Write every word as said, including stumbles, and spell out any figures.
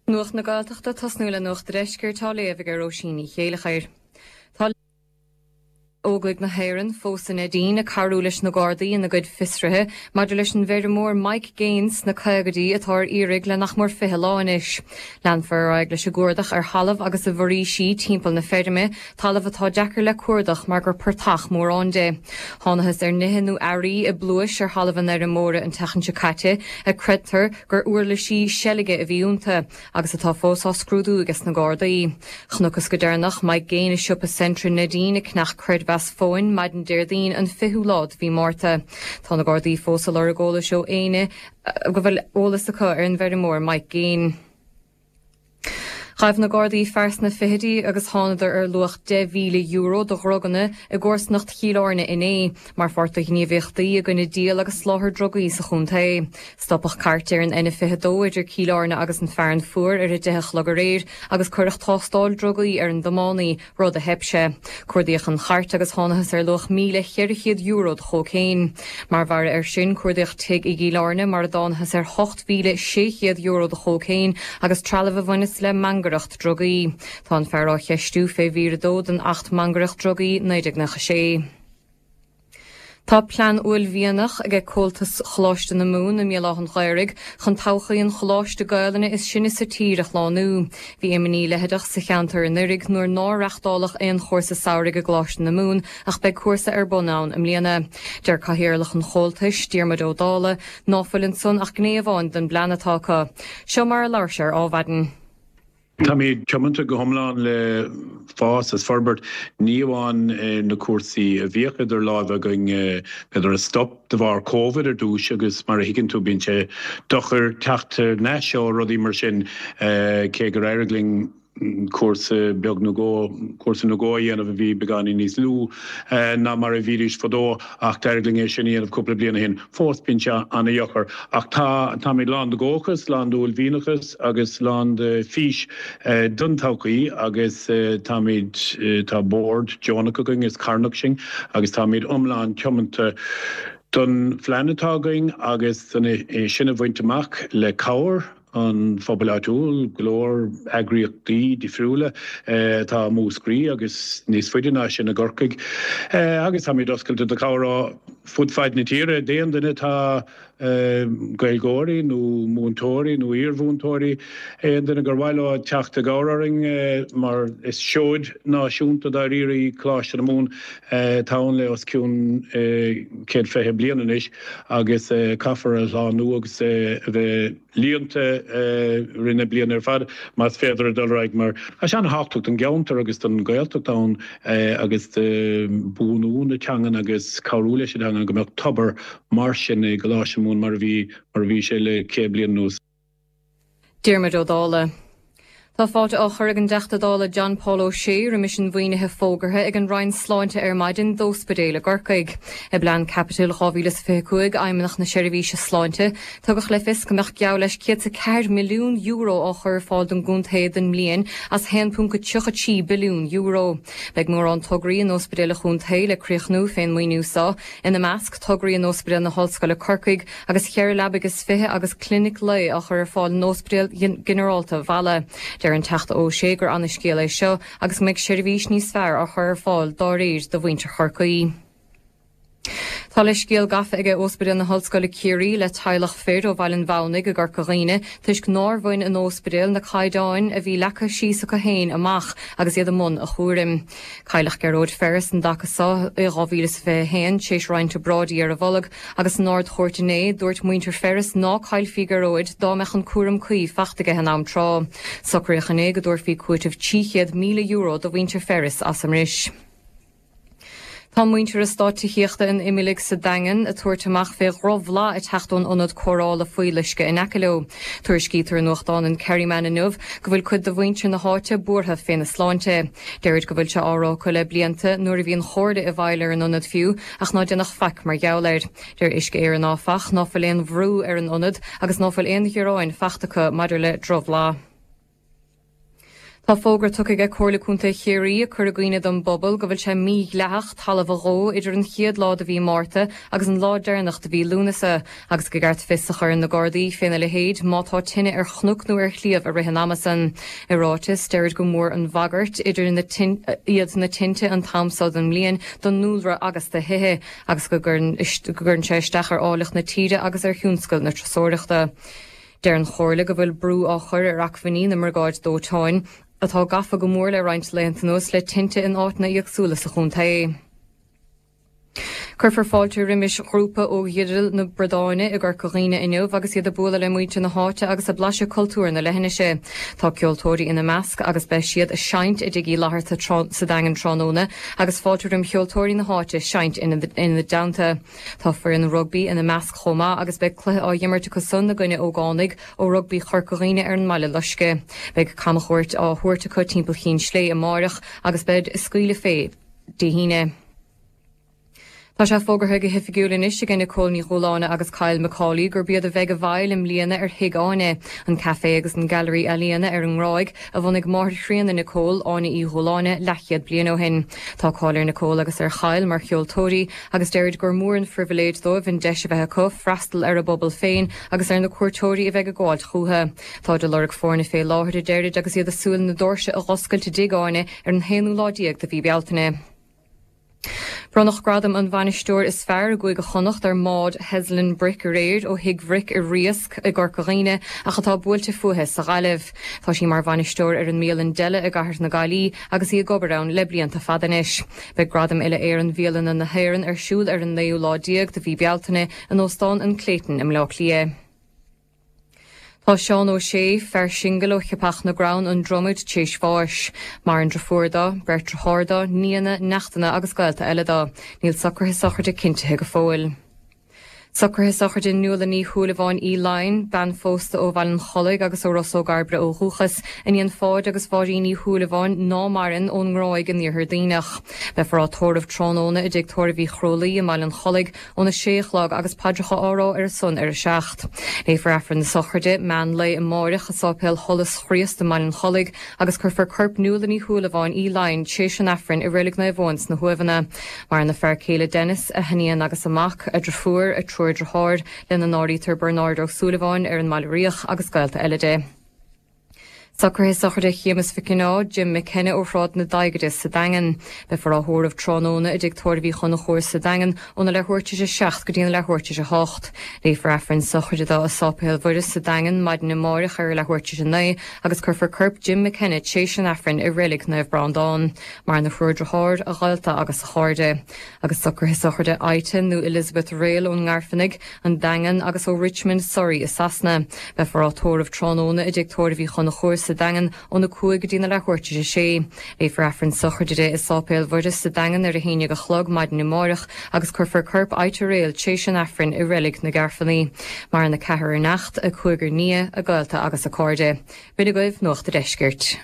Nuacht na Gaeltachta tosnú le Nuacht an Deiscirt á léamh ag Róisín Ní Chéilleachair. Tá Óglaigh na hÉireann fós i Neidín ag cabhrú leis na Gardaí ina gcuid fiosruithe maidir leis an bhfeirmeoir Mike Gaines sna caogaidí atá ar iarraidh le nach mór fiche lá anois. Leanfar ar aghaidh leis an gcuardach ar thalamh agus i bhforaoisí timpeall na feirme, talamh atá deacair le cuardach mar gur portach mórán de. Thángthas ar nithe nó earraí i bpluais ar thalamh an fheirmeora an tseachtain seo caite, a creidtear gur uirlisí seilge a bhí iontu, agus atá fós á scrúdú ages na Gardaí. Chonacthas go deireanach Mike Gaine i siopa Centra Neidín ag ceannach creidmheas fóin maidin Déardaoin an fichiú lá de mhí Márta. Tá na Gardaí fós ag lorg eolais ó éinne go bhfuil eolas acu ar an bhfeirmeoir Mike Gaine. Ghabh na Gardaí fear sna fichidí agus thánadar ar luach deich mhíle euro de dhruganna i gcomharsanacht Chill Airne inné, mar pháirt de ghníomhaíochtaí i gcoinne díol agus soláthar drugaí sa chontae. Stopadh cairt ar an N fiche dó idir Cill Airne agus an Fearann Fuar ar a deich a chlog aréir agus cuireadh tástáil drugaí ar an dtiománaí, rud a theip sé. Cuardaíodh an chairt agus thángthas ar luach míle cheithre chéad euro de chócaon. Mar bharra air sin, cuardaíodh tigh i gCill Airne mar a dtángthas ar hocht mhíle sé chéad euro de chócaon agus trealamh a bhaineas le mangaireacht drugaí. Tá an fear á cheistiú fé mhír a dó den Acht Mangaireacht Drugaí naoi déag nócha sé. Tá plean uaillmhianach ag Comhaltas Choláiste na Mumhan i mBéal Átha an Ghaorthaidh chun todhchaí an choláiste Gaelainne is sine sa tír a shlánú. Bhí imní leitheadach sa cheantar anuraidh nuair nár reáchtáladh aon chúrsa samhraidh i gColáiste na Mumhan ach beidh cúrsa ar bun ann i mbliana. Deir Cathaoirleach an Chomhaltais, Diarmuid Ó Dálaigh, ná fuil ansan ach gné amháin den bplean atá acu. Seo mar a labhair sé ar Adhmhaidin. Táimid tiomanta go hiomlán le fás is forbairt, ní amháin na cúrsaí a bhíodh idir lámha againn, b'fhéidir a stop de bharr Covid ar dtús agus mar a thuigeann tú bíonn sé deacair teacht ar ais ó rudaí mar sin, cé gur éirigh linn cúrsa beag nó dhó, cúrsa nó dhó a dhéanamh a bhí beagáinín níos lú ná mar a bhídís fadó ach d'éirigh linn é sin a dhéanamh cúpla bliain ó shin. Fós bíonn sé an-deacair ach tá, táimid lán de dhóchas, lán d'uaillmhianachas agus lán de fís don todhchaí agus táimid, tá bord deonach againn is carthanach sinn agus táimid iomlán tiomanta don phlean atá againn agus don é sin a bhaint amach le cabhair an phobail áitiúil, go leor eagraíochtaí difriúla atá i Múscraí agus níos faide ná sin i gCorcaigh agus táimid oscailte do chabhair ó fud fad na tíre d'aon duine atá Gaeilgeoirí nó múinteoirí nó iarmhúinteoirí, aon duine gur mhaith leo teacht i gcabhair orainn mar is seoid náisiúnta dáiríre í Coláiste na Mumhan atá ann le os cionn céad fiche bliain anois agus caithfear a shlánú agus a bheith líonta i rith na bliana ar fad más féidir a dul ar aghaidh mar tá sé an-thábhachtach don gceantar agus don Ghaeltacht ann agus do bhuanú na teangan agus cabhrú leis an teanga go mbeadh tobar mar sin i gColáiste na Mumhan mar a bhí mar a bhí sé le céad bliain anuas. Diarmuid Ó Dálaigh. Tá fáilte á chur ag an dTeachta Dála John Paul O'Shea roimis an mhaoinithe fógartha ag an Roinn Sláinte ar maidin d'óspidéal i gCorcaigh. I bPlean Caipitil dhá mhíle is fiche cúig Fheidhmeannacht na Seirbhíse Sláinte, tugadh le fios go mbeadh geall leis céad is a ceathair milliún euro á chur ar fáil don gcontae don mbliain as haon ponc tríocha trí billiún euro. Beidh mórán tograí in óspidéil an chontae le críochnú fén maoiniú seo, ina measc, tograí in Óspidéal na hOllscoile Corcaigh agus cheithre leabaidh is fiche agus clinic lae á chur ar fáil in Óspidéal Ginearálta Mhala. Deir an Teachta O'Shea gur ana-scéal é seo agus go mbeidh seirbhís níos fearr á chur ar fáil dá réir do mhuintir Chorcaí. Tá leithscéal gafa aige Óspidéal na hOllscoile Ciarraí le teaghlach fir ó Bhaile an Mhamhnaigh i gCorca Dhuibhne toisc nár bhain an óspidéal na caighdeáin a bhí leagtha síos acu féin amach agus iad i mbun a chúraim. Cailleadh Gearóid Ferris an dtaca seo i dhá mhíle is fiche a haon tar éis roinnt obráidí ar a bholg agus san Ard-Chúirt inné dúirt muintir Ferris ná caillfí Gearóid dá mbeadh an cúram cuí fachta aige in am tráth. Socraíodh inné go dtabharfaí cúiteamh trí chéad míle euro do mhuintir Ferris as an mbris. Tá muintir eastát tithíochta an Imiligh sa Daingean ag tabhairt amach fé dhrochbhlas ag teacht ón ionad cóireála fuíolluisce in aice leo. Tuairiscítear i nuachtán an Kerryman inniu go bhfuil cuid de mhuintir na háite buartha féna sláinte. Deirid go bhfuil sé á rá acu le blianta, nuair a bhí an Chomhairle i bhfeighil ar an ionad fiú, ach ná déanadh faic mar gheall air. Deir Uisce Éireann áfach ná fuil aon bhrú ar an ionad agus ná fuil aon ghearáin fachta acu maidir le drochbhlas. Tá fógra tugtha ag Comhairle Contae Chiarraí ag cur i gcuimhne don bpobal go bhfuil sé mídhleathach talamh a dhó idir an chéad lá de mhí Márta agus an lá deireanach de mhí Lúnasa, agus gur ceart fios a chur ar na Gardaí féna leithéid má tá tine ar chnoc nó ar shliabh i rith an ama san. I ráiteas, deirid gur mór an bhagairt idir na iad na tinte an t-am seo den mbliain don ndúlra agus do thithe, agus go gcuireann sé isteach ar áilleacht na tíre agus ar thionscal na turasóireachta. Deir an Chomhairle go bhfuil brú á chur ar acmhainní na mbriogáid dóiteáin, atá gafa go mór le roinnt laethanta anuas le tinte in áiteanna éagsúla sa chontae. Cuirfear fáilte roimis ghrúpa ó Ghidil na Briotáine i gCorca Dhuibhne inniu agus iad ag bualadh le muintir na háite agus ag blaiseadh cultúr na leithinise. Tá ceoltóirí ina measc agus beidh siad ag seinnt i dTigh Uí Fhlatharta sa Daingean tráthnóna agus fáilte roim cheoltóirí na háite seinnt ina dteannta. Tá foireann rugbaí ina measc chomh maith agus beidh cluiche á imirt acu san i gcoinne ógánaigh ó Rugbaí Chorca Dhuibhne ar an mBaile Loiscthe. Beidh camchuairt á thabhairt acu timpeall Chinn Slé amáireach agus beid ag scaoileadh fé Dé hAoine. Tá sé fógartha go hoifigiúil anois ag Nicole Ní Dhúláine agus Kyle Macaulay gurb iad a bheidh i bhfeighil i mbliana ar Thigh Áine, an café agus an gailearaí ealaíona ar an nGráig a bhunaigh máthair chríonna Nicole, Áine Uí Dhúláine, leathchéad bliain ó shin. Tá cáil ar Nicole agus ar Kyle mar cheoltóirí agus deirid gur mór an phribhléid dóibh an deis a bheith acu freastal ar a bpobal féin agus ar na cuairteoirí a bheidh ag gabháilt chucu. Táid ag lorg foirne fé láthair a deirid agus iad ag súil na doirse a dh'oscailt i dTigh Áine ar an haonú lá déag de mhí Bealtaine. Bronnadh gradam an bhainisteoir is fearr i gCúige Chonnacht ar Maud Heslin Brick aréir ó Thigh Bhric i Riasc i gCorca Dhuibhne ach atá buailte fúithi sa Ghaillimh. Tá sí mar bhainisteoir ar an mbialann Della i gCathair na Gaillimhe agus í ag obair ann le blianta fada anois. Beidh gradam uile Éireann Bhialanna na hÉireann ar siúl ar an naoú lá déag de mhí Bealtaine in Óstán an Clayton i mBleá Cliath. Tá Seán Ó Sé, fear singil ó Cheapach na gCrann, an Dromaid, t'éis bháis. Maireann deirfiúr dó, beirt dearthár dó, nianna, neachtanna agus gaolta eile dó. Níl socruithe sochraide cinntithe go fóill. Socruithe sochraide Nuala Ní Shúilleabháin Uí Laighin, bean phósta ó Bhaile an Chollaigh agus ó Ros Ó gCairbre ó dhúchas, iníon Pháid agus Mháirín Ní Shúilleabháin ná maireann ón nGráig in Iarthar Duibhneach. Beifear á tórramh tráthnóna i dTigh Tórraimh Uí Chrólaí i mBaile an Chollaigh óna sé a chlog agus paidreacha á rá ar a son ar a seacht. Léifear Aifreann na sochraide meán lae amáireach i Sáipéal Sholas Chríost i mBaile an Chollaigh agus cuirfear corp Nuala Ní Shúilleabháin Uí Laighin t'éis an Aifrinn i Reilig Naomh Eoin sna hUaimheanna. Maireann a fear céile Denis, a hiníon agus a mac, a deirfiúr, a triúr dearthár, lena n-áirítear Bernard Ó Súilleabháin ar an mBaile Riach agus gaolta eile di. Socruithe sochraide Shéamus Mhic Cionnaith, Jim McKenna ó Shráid na Daighide sa Daingean. Beifear á thórramh tráthnóna i dTigh Tórraimh Uí Chonchúir sa Daingean óna leathuair tar éis a seacht go dtí an leathuair tar éis a hocht. Léifear Aifreann sochraide dó i Sáipéal Mhuire sa Daingean maidin amáireach ar a leathuair tar éis a naoi agus cuirfear corp Jim McKenna t'éis an Aifrinn i Reilig Naomh Breandán. Maireann a thriúr dearthár, a ghaolta agus a chairde. Agus socruithe sochraide Ita nó Elizabeth Rail ón nGairfeanaigh, an Daingean agus ó Richmond, Surrey i Sasana. Beifear á tórramh tráthnóna i dTigh Tórraimh Uí Chonchúir sa Daingean óna cúig go dtí na leathuair tar éis a sé. Léifear Aifreann sochraide di i Sáipéal Mhuire sa Daingean ar a haon déag a chlog maidin amáireach agus cuirfear corp Ita Rail t'éis an Aifrinn i Reilig na Gairfeanaí. Maireann a ceathrar neacht, a cúigear nia, a gaolta agus a cairde. B'in agaibh Nuacht a' Deiscirt.